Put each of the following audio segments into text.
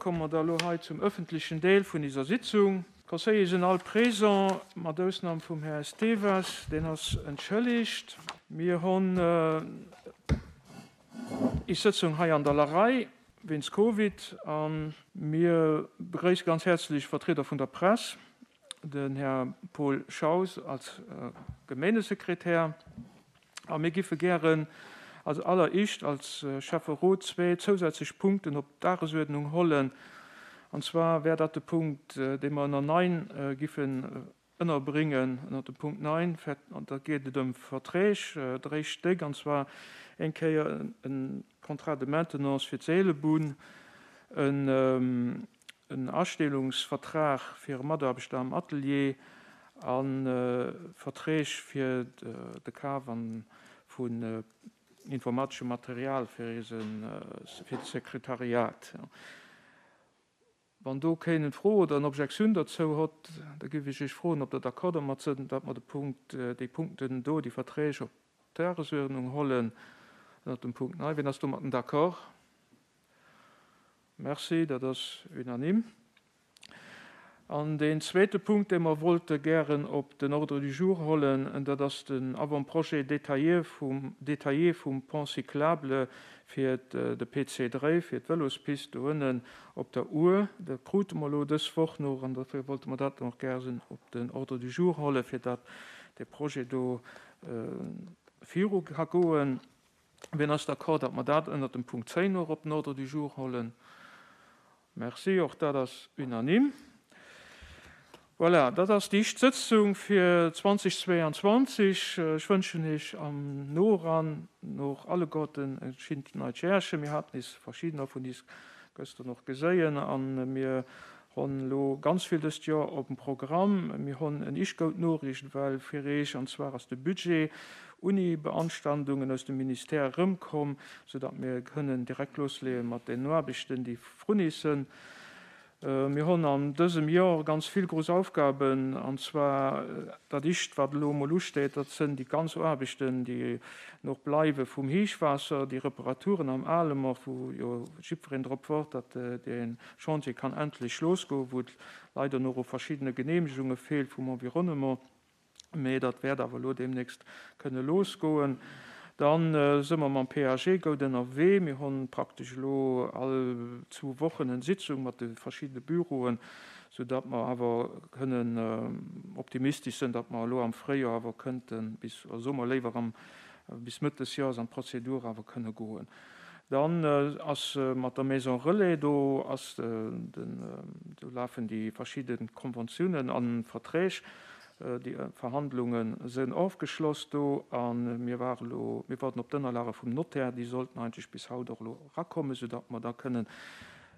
Komme mer da elo hei zum öffentlichen Deel vun iser Sitzung. D'Conseillere sinn all présent, mat Ausnam vum Här Esteves, deen ass entschëlligt. Mir honn is Sëtzung hei an der Larei wéinst Covid a mir begréisse ganz häerzlech Vertrieder vun der Press, den Här Paul Schaus als Gemeengesekretär. A mir giffe gären als alleréischt als Schäfferot zwee zousätzlech Punkten op d'Dagesuerdnung hollen. An zwar wär dat de Punkt, dee mer ënner 9 giffen ënnerbréngen, ënner dem Punkt 9, an da geet et ëm Verträg, dréi Stéck, an zwar eng Kéier e Contrat de maintenance fir d'Seelebunn, en Astellungsvertrag fir e Mataarbechter am Atelier a Verträg fir de Kaf vun informateschem Material fir de Sekretariat. Wann do keen en Fro oder en Objektioun derzou hott, da giff ech Iech froen, ob Der d'accord domat sënn, datt mer de Punkt, déi Punkten do, déi Verträg op d'Dagesuerdnung hollen ënnert dem Punkt 9. Wien ass domatten d'accord? Merci, dat ass unanime. An deen zweete Punkt, dee mer wollte gären op den Ordre du jour hollen, dat ass den Avant-projet détaillé vum, détaillé vum Pont cyclable fir de PC 3, fir d'Vëlospist do ënnen op der Our. Dat krute mer elo dës Woch nach an dofir wollte mer dat och gären op den Ordre du jour hollen, fir datt dee Projet do viru ka goen. Wien ass d'accord, datt mer dat ënnert dem Punkt 10 och op den Ordre du jour hollen? Merci, och dat ass unanime. Voilà, dat ass déi éischt Sëtzung fir 2022. Ech wënschen Iech am Noran och alleguerten e schinnt neit Järchen. Mir haten is verschiddener vun is gëschter och geséien a mir honn elo ganz vill dëst Joer op dem Programm. Mir honn en isch goud Noriicht well fir Iech, an zwar ass de Budget unni Beanstandungen aus dem Ministère erëmkomm, soudatt mir kënnen direkt losleeë mat den Aarbechten, déi vrun is sënn. Mir honn an dësem Jor ganz vill grouss Aufgaben, an zwar dat ischt, wat elo emol usteet, dat sënn déi ganz Aarbechten, déi noch bleiwe vum Héichwaasser, déi Reparaturen am Alemer, wou jo jiddwereen drop wart, datt dee Chantier kann endlech losgoen, wou et leider nach u verschiddene Genehmegunge feelt vum Environnement. Mee dat wäert awer elo deemnächst kënne losgoen. Da si mer mam PAG goud ënnerwee. Mir hunn praktesch elo all zwou Wochen en Sitzung mat de verschiddene Büroen, soudatt mer awer kënnen optimistesch sinn, datt mer elo am Fréijoer awer kënnten bis, oder soe mer léiwer am, bis Mëtt des Joers an d'Prozedur awer kënne goen. Dann ass mat der Maison Relais, do ass den, do lafen déi verschidde Konventiounen a Verträg, déi Verhandlunge sënn ofgeschloss do a mir ware lo, mir warden op d'Ënnerlage vum Notaire, déi sollten eigentlech bis haut och elo erakommen, soudatt mer da kënnen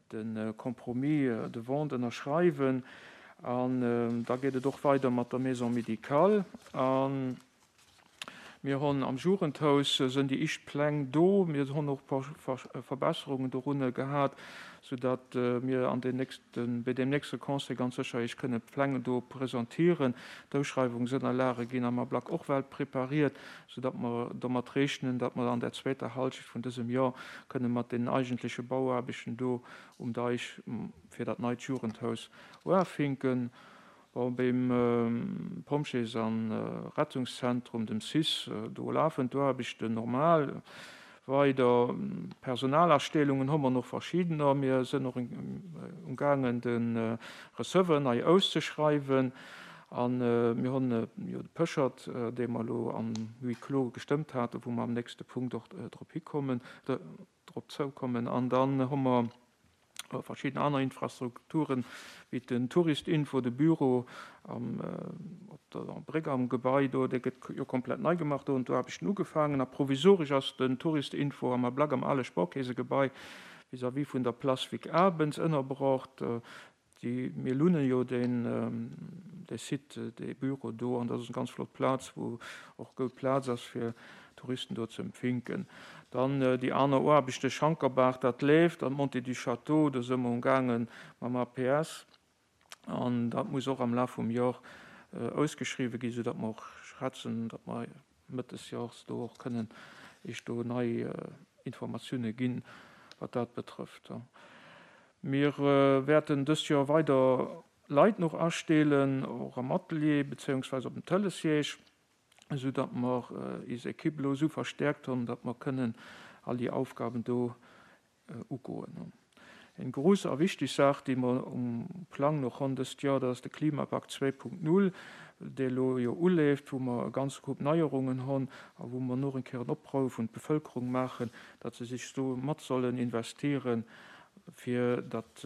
de Compromis de vente ënnerschreiwen. An da geet et och weider mat der Maison médicale. Mir honn am Jugendhaus sënn déi ischt Pläng do. Mir honn och Verbesserungen dorunne gehat, sou datt mir an den nächsten, bei deem nächste Conseil ganz sécher Iech kënnen d'Pläng do presentieren. D'Auschreiwungsënnerlage ginn am Ablack och well prepariert, sou datt mer domat rechnen, datt mer an der zweeter Halschecht vun dësem Jor kënne mat den eigentleche Bauaarbechten do um Deich fir dat neit Jugendhaus uafinken. Bon, beim Pompjees an Rettungszentrum, dem cis, do lafen d'Aarbechten normal weider. Personalastellungen hu mer nach verschiddener. Mir sënn och umgaangen de Receveur nei auszeschreiwen a mir hunn jo de Péchert, dee mer elo am Huis clos gestëmmt haten, wou mer am nächste Punkt och drop hikommen, drop zoukommen. An dann hu mer verschidden aner Infrastrukturen, wéi den Touristinfo, de Büro op der Bréck am Gebai do, dee gëtt jo komplett nei gemaach, do hunn d'Aarbechten ugefaangen. A provisoresch ass den Touristinfo am Ablack am ale Sparkeesegebai vis-à-vis vun der Place Vic Abens ënnerbrocht. Déi, mir lunnen jo deen, dee Site, dee Büro do, an dat ass eng ganz flott Plaz, wou och goud Plaz ass fir Touristen do ze empfinken. Dann déi aner Aarbechte, Schankerbaach, dat leeft, an d'Montée du Château, do si mer umgaange mam APS, an dat muss och am Laf vum Jor ausgeschriwwen ginn, soudatt mer och schätzen, datt mer Mëtt des Jors do och kënnen Iech do nei Informatioune ginn, wat dat betrëfft. Mir wäerten dëst Joer weider Leit noch asteelen, och am Atelier bezéiungsweis op dem Telesiège, esou datt mer is Equipe elo esou verstäerkt honn, datt mer kënnen all déi Aufgaben do ugoen. Eng grouss a wichteg Saach, déi mer um Plang noch honn dëst Joer, dat ass de Klimapakt 2.0, dee elo jo uleeft, wou mer e ganze Koup Neierungen honn a wou mer noch eng Kéier en Oprouf un d'Bevëlkerung maachen, datt se sech do mat sollen investieren, fir datt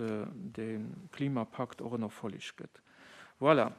dee Klimapakt och en Erfolleg gëtt. Voilà.